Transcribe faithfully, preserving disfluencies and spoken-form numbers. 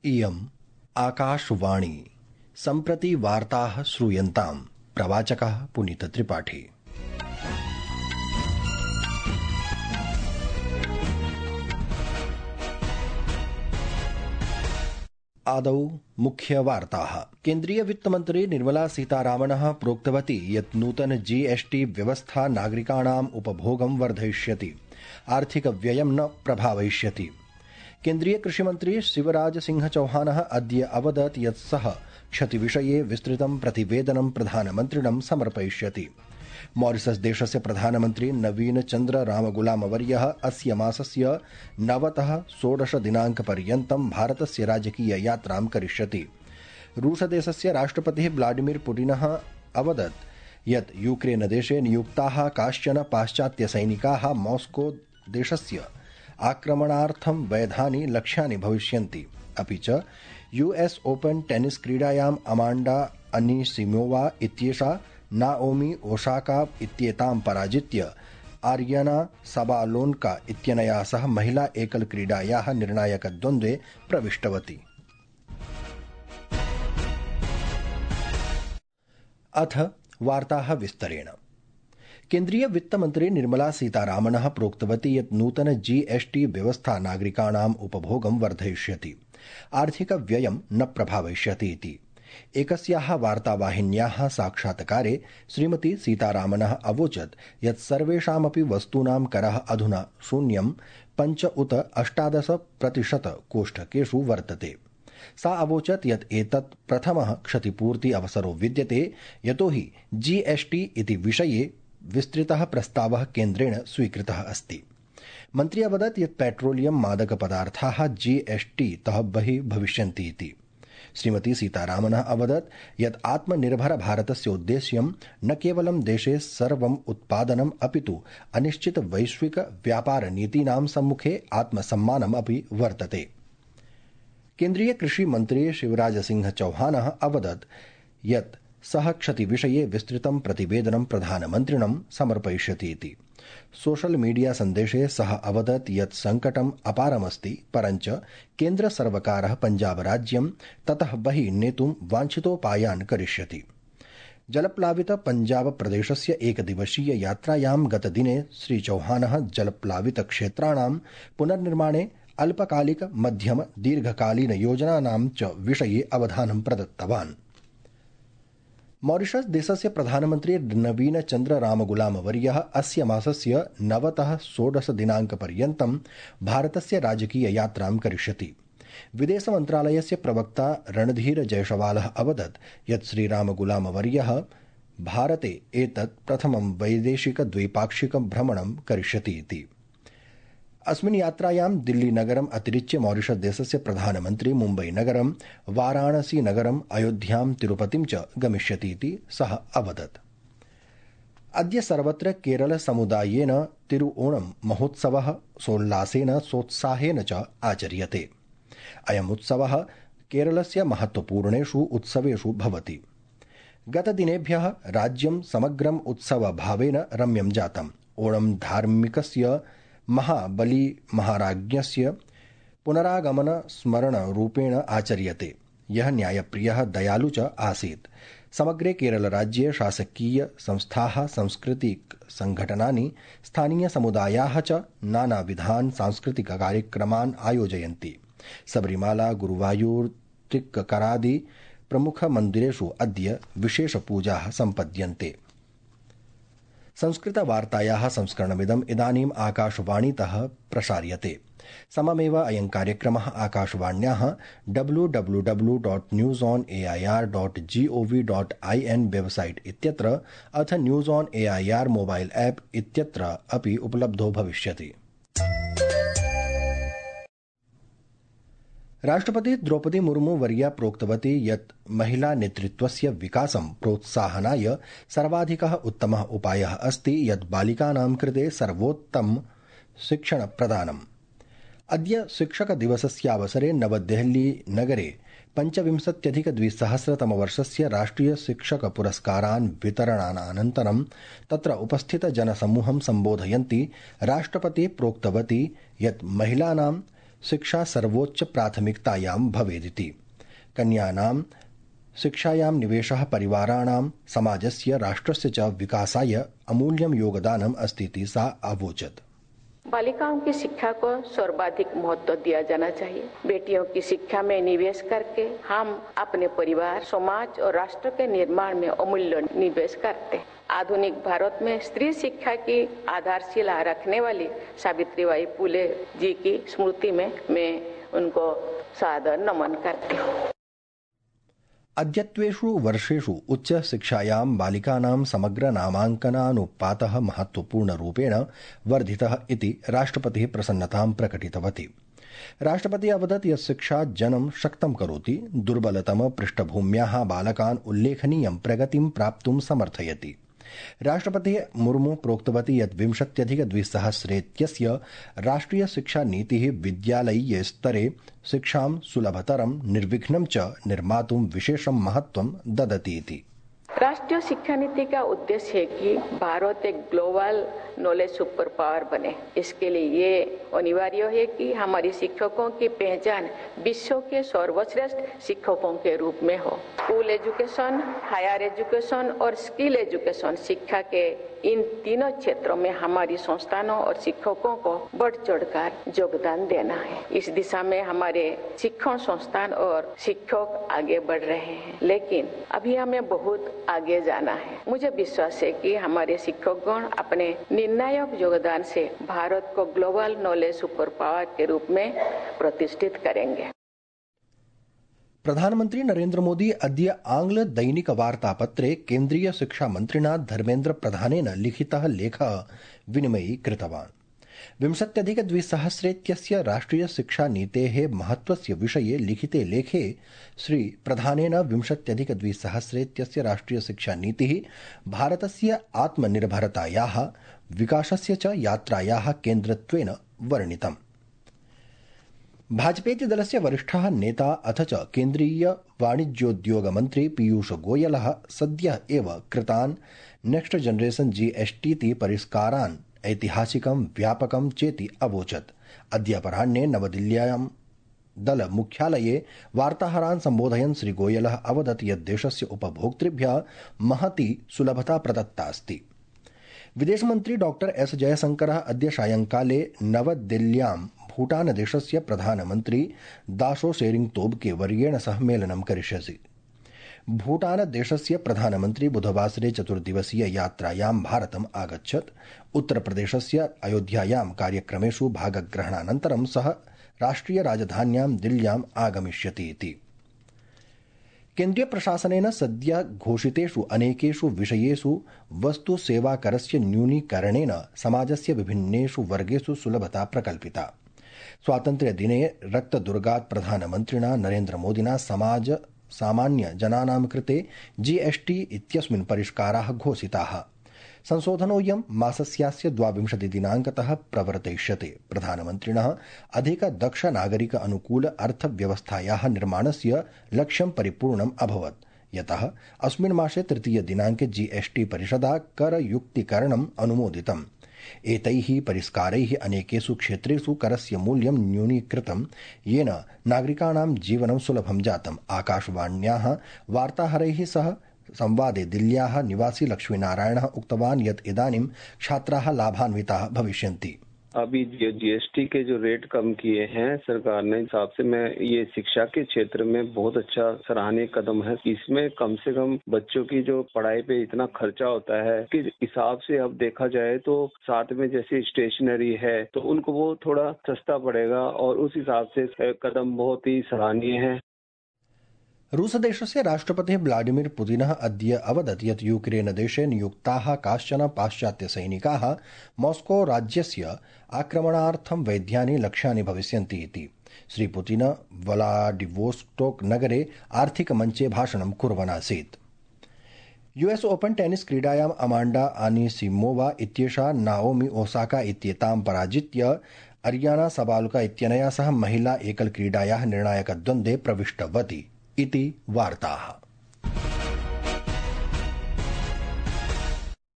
इयम् आकाशवाणी। सम्प्रति वार्ताः श्रूयन्ताम्। प्रवाचकः पुनीतत्रिपाठी। आदौ मुख्यवार्ताः। केन्द्रीय वित्तमन्त्री निर्मला सीतारामनः प्रोक्तवती यत् नूतन जीएसटी व्यवस्था नागरिकाणाम् उपभोगं वर्धयिष्यति, आर्थिकव्ययं न प्रभावयिष्यति। केन्द्रीय कृषिमन्त्री शिवराज सिंह चौहानः अद्य अवदत् यत् सः क्षतिविषये विस्तृतं प्रतिवेदनं प्रधानमन्त्रिणं समर्पयिष्यति। मॉरिशस देशस्य प्रधानमन्त्री नवीन चन्द्र रामगुलामवर्यः अस्य मासस्य नवतः षोडश दिनाङ्कपर्यन्तं भारतस्य राजकीय यात्रां करिष्यति। रूसदेशस्य राष्ट्रपतिः व्लादिमीर पुतिनः अवदत् यत् यूक्रेनदेशे नियुक्ताः काश्चन पाश्चात्यसैनिकाः मॉस्को देशस्य आक्रमणार्थं वैधानि लक्ष्यानि भविष्यन्ति। अपि च यूएस ओपन टेनिस क्रीडायाम् अमांडा अनीसिमोवा इत्येषा नाओमी ओसाका इत्येतां पराजित्य आर्यना सबालोन्का इत्यनया सह महिला एकल क्रीडायाः निर्णायकद्वन्द्वे प्रविष्टवती। अथ वार्ताः विस्तरेण। केन्द्रीय वित्तमन्त्री निर्मला सीतारामनः प्रोक्तवती यत् नूतन जीएसटी व्यवस्था नागरिकाणाम् उपभोगं वर्धयिष्यति, आर्थिकव्ययं न प्रभावयिष्यति इति। एकस्याः वार्तावाहिन्याः साक्षात्कारे श्रीमती सीतारामनः अवोचत् यत् सर्वेषामपि वस्तूनां करः अधुना शून्यं पञ्च उत अष्टादश प्रतिशत कोष्ठकेषु वर्तते। सा अवोचत् यत् एतत् प्रथमः क्षतिपूर्ति अवसरो विद्यते, यतोहि जीएसटी इति विषये विस्तृतः प्रस्तावः केन्द्रेण स्वीकृतः अस्ति। मन्त्री अवदत् यत् पेट्रोलियम मादकपदार्थाः जीएसटी तः बहिः भविष्यन्ति इति। श्रीमती सीतारामनः अवदत् यत् आत्मनिर्भर भारतस्य उद्देश्यं न केवलं देशे सर्वम् उत्पादनम् अपितु अनिश्चित वैश्विक व्यापार नीतीनां सम्मुखे आत्मसम्मानम् अपि वर्तते। केन्द्रीय कृषि मन्त्री शिवराज सिंह चौहानः अवदत् यत् सः क्षतिविषये विस्तृतं प्रतिवेदनं प्रधानमन्त्रिणं समर्पयिष्यति इति। सोशल मीडिया सन्देशे सः अवदत् यत् संकटम् अपारमस्ति, परञ्च केन्द्रसर्वकारः पञ्जाबराज्यं ततः बहिः नेतुं वाञ्छितोपायान् करिष्यति। जलप्लावित पञ्जाब प्रदेशस्य एकदिवसीय यात्रायां गतदिने श्रीचौहानः जलप्लावित क्षेत्राणां पुनर्निर्माणे अल्पकालिक मध्यम दीर्घकालीन योजनानां च विषये अवधानं प्रदत्तवान्। मॉरिशस देशस्य प्रधानमन्त्री नवीन चन्द्र रामगुलामवर्यः अस्य मासस्य नवतः षोडश दिनाङ्कपर्यन्तं भारतस्य राजकीय यात्रां करिष्यति। विदेशमन्त्रालयस्य प्रवक्ता रणधीर जयसवालः अवदत् यत् श्रीरामगुलामवर्यः भारते एतत् प्रथमं वैदेशिक द्वैपाक्षिक भ्रमणं करिष्यति इति। अस्मिन् यात्रायां दिल्लीनगरम् अतिरिच्य मॉरिशस देशस्य प्रधानमन्त्री मुम्बईनगरं, वाराणसीनगरम्, अयोध्यां, तिरुपतिं च गमिष्यति इति सः अवदत्। अद्य सर्वत्र केरल समुदायेन तिरुओणम् महोत्सवः सोल्लासेन सोत्साहेन च आचर्यते। अयम् उत्सवः केरलस्य महत्वपूर्णेषु उत्सवेषु भवति। गतदिनेभ्यः राज्यं समग्रम् उत्सवभावेन रम्यं जातम्। ओणम् धार्मिकस्य महाबली महाराज्ञस्य पुनरागमन स्मरण रूपेण आचर्यते, यः न्यायप्रियः दयालु च आसीत्। समग्रे केरलराज्ये शासकीय संस्थाः, सांस्कृतिक संघटनानि, स्थानीय समुदायाः च नानाविधान् सांस्कृतिक कार्यक्रमान् आयोजयन्ति। सबरीमाला, गुरुवायूर, तिक्करादि प्रमुख मन्दिरेषु अद्य विशेष पूजाः सम्पद्यन्ते। संस्कृतवार्तायाः संस्करणमिदम् इदानीम् आकाशवाणीतः प्रसार्यते। सममेव अयं कार्यक्रमः आकाशवाण्याः W W W dot news on A I R dot G O V dot I N website इत्यत्र अथ news on A I R mobile app इत्यत्र अपि उपलब्धो भविष्यति। राष्ट्रपति द्रौपदी मुर्मू वर्या प्रोक्तवती यत् महिला नेतृत्वस्य विकासं प्रोत्साहनाय सर्वाधिकः उत्तमः उपायः अस्ति यत् बालिकानां कृते सर्वोत्तम शिक्षण प्रदानम्। अद्य शिक्षक दिवसस्यावसरे नवदेहली नगरे पञ्चविंशत्यधिक द्विसहस्रतमवर्षस्य राष्ट्रिय शिक्षक पुरस्कारान् वितरणानन्तरं तत्र उपस्थित जनसमूहं सम्बोधयन्ती राष्ट्रपति प्रोक्तवती यत् महिलानां शिक्षा सर्वोच्च प्राथमिकतायां भवेदिति। कन्यानां शिक्षायां निवेशः परिवाराणां समाजस्य राष्ट्रस्य च विकासाय अमूल्यं योगदानम् अस्तीति सा अवोचत्। बालिकाओं की शिक्षा को सर्वाधिक महत्व दिया जाना चाहिए। बेटियों की शिक्षा में निवेश करके हम अपने परिवार, समाज और राष्ट्र के निर्माण में अमूल्य निवेश करते हैं। आधुनिक भारत में स्त्री शिक्षा की आधारशिला रखने वाली सावित्रीबाई फुले जी की स्मृति में मैं उनको सादर नमन करती हूँ। अद्यत्वेषु वर्षेषु उच्च शिक्षायां बालिकानां समग्र नामाङ्कनानुपातः महत्वपूर्णरूपेण वर्धितः इति राष्ट्रपतिः प्रसन्नतां प्रकटितवती। राष्ट्रपतिः अवदत् यत् शिक्षा जनं शक्तं करोति, दुर्बलतम पृष्ठभूम्याः बालकान् उल्लेखनीयं प्रगतिं प्राप्तुं समर्थयति। राष्ट्रपतिः मुर्मू प्रोक्तवती यत् विंशत्यधिक द्विसहस्रेत्यस्य राष्ट्रिय शिक्षा नीतिः विद्यालयीय स्तरे शिक्षां सुलभतरं निर्विघ्नं च निर्मातुं विशेषं महत्वं ददति इति। राष्ट्रीय शिक्षा नीति का उद्देश्य है कि भारत एक ग्लोबल नॉलेज सुपर पावर बने। इसके लिए ये अनिवार्य है कि हमारे शिक्षकों की पहचान विश्व के सर्वश्रेष्ठ शिक्षकों के रूप में हो। स्कूल एजुकेशन, हायर एजुकेशन और स्किल एजुकेशन शिक्षा के इन तीनों क्षेत्रों में हमारी संस्थानों और शिक्षकों को बढ़ चढ़कर योगदान देना है। इस दिशा में हमारे शिक्षण संस्थान और शिक्षक आगे बढ़ रहे हैं, लेकिन अभी हमें बहुत आगे जाना है। मुझे विश्वास है कि हमारे शिक्षकगण अपने निर्णायक योगदान से भारत को ग्लोबल नॉलेज सुपर पावर के रूप में प्रतिष्ठित करेंगे। प्रधानमंत्री नरेन्द्र मोदी अद्य आंग्ल दैनिक वार्तापत्रे केन्द्रीय शिक्षा मन्त्रिणा धर्मेन्द्र प्रधानेन लिखितः लेखः विनिमयीकृतवान्। विंशत्यधिक द्विसहस्रेत्यस्य राष्ट्रिय शिक्षा नीतेः महत्वस्य विषये लिखिते लेखे श्री प्रधानेन विंशत्यधिक द्विसहस्रेत्यस्य राष्ट्रिय शिक्षा नीतिः भारतस्य आत्मनिर्भरतायाः विकासस्य च यात्रायाः केन्द्रत्वेन वर्णितम्। भाजपेति दलस्य वरिष्ठः नेता अथ च केन्द्रीय वाणिज्योद्योग मन्त्री पीयूष गोयलः सद्यः एव कृतान् नेक्स्ट जनरेशन जीएसटीति परिष्कारान् ऐतिहासिकं व्यापकं चेति अवोचत्। अद्य अपराह्ने नवदिल्ल्यां दल मुख्यालये वार्ताहरान् सम्बोधयन् श्री गोयलः अवदत् यत् देशस्य उपभोक्तृभ्यः महती सुलभता प्रदत्ता अस्ति। विदेशमन्त्री डॉक्टर एस जयशंकरः अद्य सायंकाले नवदिल्ल्यां भूटानदेशस्य प्रधानमन्त्री दाशो शेरिंग तोब्गे वर्येण सह मेलनं करिष्यति। भूटानदेशस्य प्रधानमन्त्री बुधवासरे चतुर्दिवसीय यात्रायां भारतम् आगच्छत्। उत्तरप्रदेशस्य अयोध्यायां कार्यक्रमेषु भागग्रहणानन्तरं सः राष्ट्रिय राजधान्यां दिल्ल्याम् आगमिष्यति इति। केन्द्रीय प्रशासनेन सद्य घोषितेषु अनेकेषु विषयेषु वस्तु सेवाकरस्य न्यूनीकरणेन समाजस्य विभिन्नेषु वर्गेषु सुलभता प्रकल्पिता। स्वातन्त्र्यदिने रक्तदुर्गात् प्रधानमन्त्रिणा नरेन्द्र मोदिना समाज सामान्य जनानां कृते जीएसटी इत्यस्मिन् परिष्काराः घोषिताः। संशोधनोऽयं मासस्यास्य द्वाविंशतिदिनाङ्कतः प्रवर्तयिष्यते। प्रधानमन्त्रिणः अधिक दक्ष नागरिक अनुकूल अर्थव्यवस्थायाः निर्माणस्य लक्ष्यं परिपूर्णम् अभवत्, यतः अस्मिन् मासे तृतीय दिनाङ्के जीएसटी परिषदा करयुक्तीकरणम् अनुमोदितम्। एतैः परिष्कारैः अनेकेषु क्षेत्रेषु करस्य मूल्यं न्यूनीकृतं, येन नागरिकाणां जीवनं सुलभं जातम्। आकाशवाण्याः वार्ताहरैः सह संवादे दिल्ल्याः निवासी लक्ष्मीनारायणः उक्तवान् यत् इदानीं छात्राः लाभान्विताः भविष्यन्ति। अभी जो जीएसटी के जो रेट कम किए हैं सरकार ने, हिसाब से मैं ये शिक्षा के क्षेत्र में बहुत अच्छा सराहनीय कदम है। इसमें कम से कम बच्चों की जो पढ़ाई पे इतना खर्चा होता है कि हिसाब से अब देखा जाए तो साथ में जैसे स्टेशनरी है तो उनको वो थोड़ा सस्ता पड़ेगा और उस हिसाब से कदम बहुत ही सराहनीय है। रूसदेशस्य राष्ट्रपतिः व्लादिमीर पुतिनः अद्य अवदत् यत् यूक्रेनदेशे नियुक्ताः काश्चन पाश्चात्यसैनिकाः मॉस्को राज्यस्य आक्रमणार्थं वैद्यानि लक्ष्यानि भविष्यन्ति इति। श्री पुतिन व्लादिवोस्टोक नगरे आर्थिकमञ्चे भाषणं कुर्वन् आसीत्। यूएस ओपन टेनिस क्रीडायाम् अमांडा आनीसिमोवा इत्येषा नाओमी ओसाका इत्येतां पराजित्य अरियाना सबालुका इत्यनया सह महिला एकल क्रीडायाः निर्णायकद्वन्द्वे प्रविष्टवती इति वार्ताः।